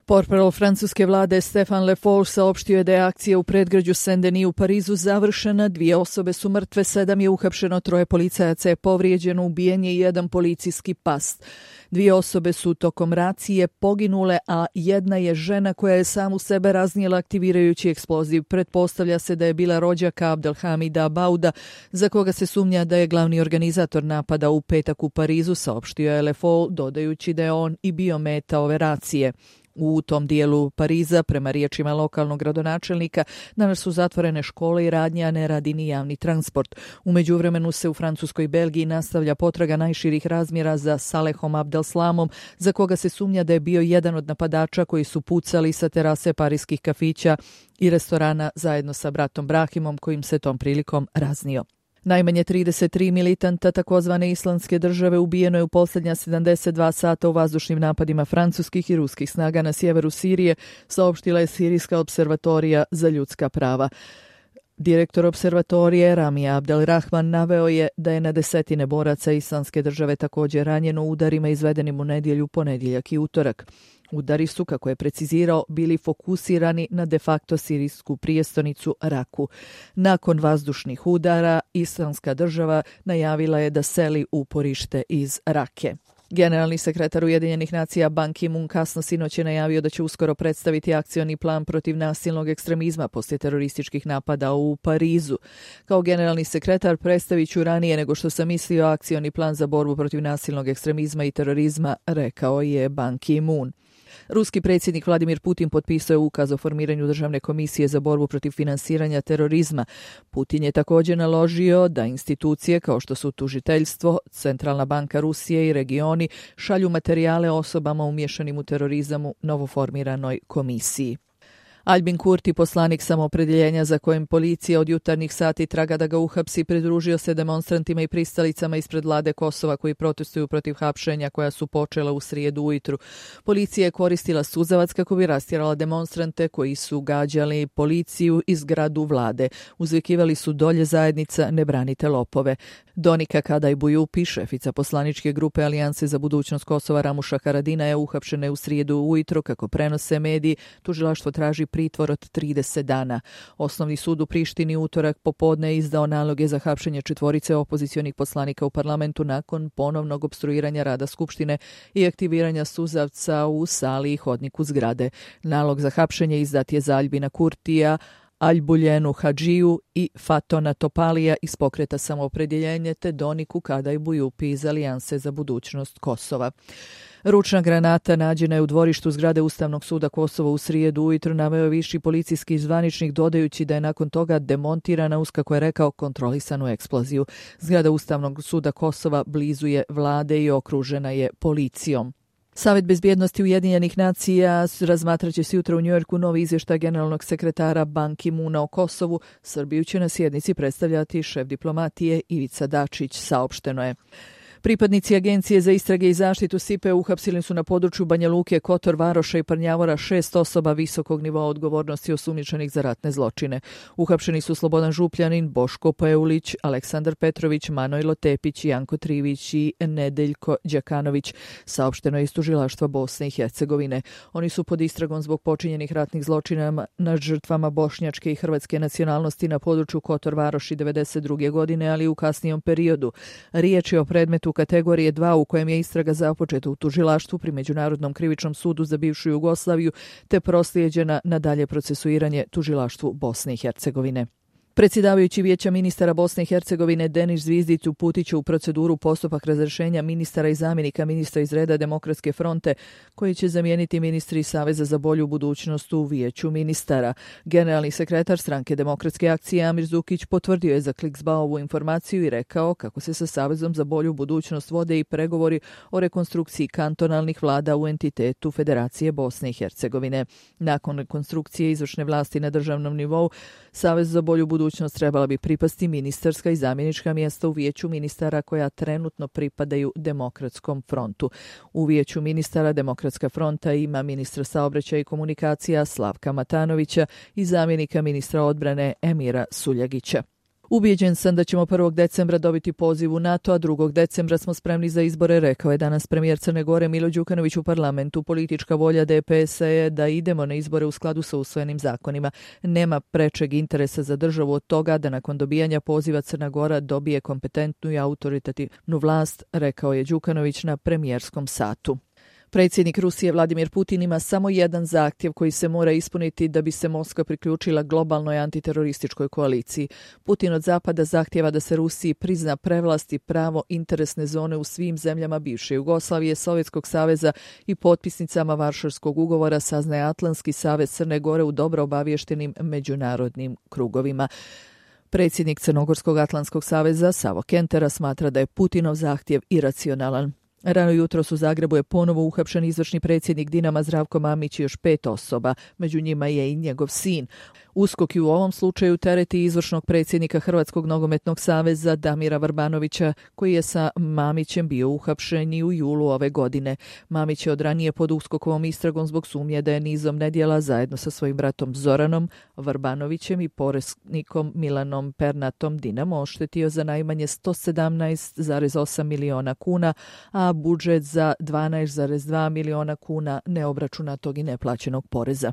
Portparol francuske vlade Stéphane Le Foll saopštio je da je akcija u predgrađu Saint-Denis u Parizu završena, 2 osobe su mrtve, 7 je uhapšeno, 3 policajaca je povrijeđeno, ubijen je 1 policijski pas. 2 osobe su tokom racije poginule, a 1 je žena koja je samu sebe raznijela aktivirajući eksploziv. Pretpostavlja se da je bila rođaka Abdelhamida Bauda, za koga se sumnja da je glavni organizator napada u petak u Parizu, saopštio je Le Foll, dodajući da je on i bio meta ove racije. U tom dijelu Pariza, prema riječima lokalnog gradonačelnika, danas su zatvorene škole i radnje, a ne radi ni javni transport. U međuvremenu se u Francuskoj i Belgiji nastavlja potraga najširih razmjera za Salehom Abdelslamom, za koga se sumnja da je bio jedan od napadača koji su pucali sa terase pariskih kafića i restorana zajedno sa bratom Brahimom, kojim se tom prilikom raznio. Najmanje 33 militanta takozvane islamske države ubijeno je u posljednja 72 sata u vazdušnim napadima francuskih i ruskih snaga na sjeveru Sirije, saopštila je Sirijska observatorija za ljudska prava. Direktor observatorije Rami Abdelrahman naveo je da je na desetine boraca islamske države također ranjeno u udarima izvedenim u nedjelju, ponedjeljak i utorak. Udari su, kako je precizirao, bili fokusirani na de facto sirijsku prijestolnicu Raku. Nakon vazdušnih udara, islamska država najavila je da seli uporište iz Rake. Generalni sekretar Ujedinjenih nacija Ban Ki-moon kasno sinoć je najavio da će uskoro predstaviti akcioni plan protiv nasilnog ekstremizma poslije terorističkih napada u Parizu. Kao generalni sekretar predstavit ću ranije nego što sam mislio akcioni plan za borbu protiv nasilnog ekstremizma i terorizma, rekao je Ban Ki-moon. Ruski predsjednik Vladimir Putin potpisao je ukaz o formiranju državne komisije za borbu protiv finansiranja terorizma. Putin je također naložio da institucije kao što su tužiteljstvo, Centralna banka Rusije i regioni šalju materijale osobama umješanim u terorizam u novoformiranoj komisiji. Albin Kurti, poslanik samoopredjeljenja za kojim policija od jutarnjih sati traga da ga uhapsi, pridružio se demonstrantima i pristalicama ispred vlade Kosova koji protestuju protiv hapšenja koja su počela u srijedu ujutru. Policija je koristila suzavac kako bi rastjerala demonstrante koji su gađali policiju i zgradu vlade. Uzvikivali su dolje zajednica, ne branite lopove. Donika Kadaj-Bujupi, šefica poslaničke grupe Alijanse za budućnost Kosova Ramuša Haradina, je uhapšena u srijedu ujutro, kako prenose mediji. Tužilaštvo traži pritvor od 30 dana. Osnovni sud u Prištini utorak popodne izdao naloge za hapšenje 4 opozicionih poslanika u parlamentu nakon ponovnog opstruiranja rada Skupštine i aktiviranja suzavca u sali i hodniku zgrade. Nalog za hapšenje izdat je za Albina Kurtija, Albuljenu Hadžiju i Fatona Topalija iz pokreta samoopredjeljenje te Doniku Kadaj-Bujupi iz Alijanse za budućnost Kosova. Ručna granata nađena je u dvorištu zgrade Ustavnog suda Kosova u srijedu ujutro, naveo je viši policijski zvaničnik, dodajući da je nakon toga demontirana uz, kako je rekao, kontrolisanu eksploziju. Zgrada Ustavnog suda Kosova blizu je vlade i okružena je policijom. Savet bezbjednosti Ujedinjenih nacija razmatraće se jutro u Njujorku novi izvještaj generalnog sekretara Ban Ki-moona o Kosovu. Srbiju će na sjednici predstavljati šef diplomatije Ivica Dačić, saopšteno je. Pripadnici Agencije za istrage i zaštitu SIPE uhapsili su na području Banja Luke, Kotor Varoša i Prnjavora 6 osoba visokog nivoa odgovornosti osumnjičenih za ratne zločine. Uhapšeni su Slobodan Župljanin, Boško Peulić, Aleksandar Petrović, Manojlo Tepić, Janko Trivić i Nedeljko Đakanović, saopšteno je iz tužilaštva Bosne i Hercegovine. Oni su pod istragom zbog počinjenih ratnih zločina nad žrtvama bošnjačke i hrvatske nacionalnosti na području Kotor Varoši 1992. godine, ali u kasnijem periodu. Riječ je o predmetu kategorije 2 u kojem je istraga započeta u tužilaštvu pri Međunarodnom krivičnom sudu za bivšu Jugoslaviju te proslijeđena na dalje procesuiranje tužilaštvu Bosne i Hercegovine. Predsjedavajući Vijeća ministara Bosne i Hercegovine Denis Zvizdić uputit će u proceduru postupak razrješenja ministara i zamjenika ministra iz reda Demokratske fronte koji će zamijeniti ministri Saveza za bolju budućnost u Vijeću ministara. Generalni sekretar stranke Demokratske akcije Amir Zukić potvrdio je za Kliksba ovu informaciju i rekao kako se sa Savezom za bolju budućnost vode i pregovori o rekonstrukciji kantonalnih vlada u entitetu Federacije Bosne i Hercegovine. Nakon rekonstrukcije izvršne vlasti na državnom nivou, Savez za bolju budućnost trebala bi pripasti ministarska i zamjenička mjesta u Vijeću ministara koja trenutno pripadaju Demokratskom frontu. U Vijeću ministara Demokratska fronta ima ministra saobraćaja i komunikacija Slavka Matanovića i zamjenika ministra odbrane Emira Suljagića. Ubijeđen sam da ćemo 1. decembra dobiti poziv u NATO, a 2. decembra smo spremni za izbore, rekao je danas premijer Crne Gore Milo Đukanović u parlamentu. Politička volja DPS-a je da idemo na izbore u skladu sa usvojenim zakonima. Nema prečeg interesa za državu od toga da nakon dobijanja poziva Crna Gora dobije kompetentnu i autoritativnu vlast, rekao je Đukanović na premijerskom satu. Predsjednik Rusije Vladimir Putin ima samo jedan zahtjev koji se mora ispuniti da bi se Moskva priključila globalnoj antiterorističkoj koaliciji. Putin od Zapada zahtjeva da se Rusiji prizna prevlast i pravo interesne zone u svim zemljama bivše Jugoslavije, Sovjetskog saveza i potpisnicama Varšavskog ugovora, saznaje Atlantski savez Crne Gore u dobro obaviještenim međunarodnim krugovima. Predsjednik Crnogorskog Atlantskog saveza Savo Kentera smatra da je Putinov zahtjev iracionalan. Rano jutros u Zagrebu je ponovo uhapšen izvršni predsjednik Dinama Zdravko Mamić i još 5 osoba, među njima je i njegov sin. USKOK u ovom slučaju tereti izvršnog predsjednika Hrvatskog nogometnog saveza Damira Vrbanovića, koji je sa Mamićem bio uhapšen i u julu ove godine. Mamić je od ranije pod USKOK-ovom istragom zbog sumnje da je nizom nedjela zajedno sa svojim bratom Zoranom Vrbanovićem i poreznikom Milanom Pernatom Dinamo oštetio za najmanje 117,8 miliona kuna, a budžet za 12,2 miliona kuna neobračunatog i neplaćenog poreza.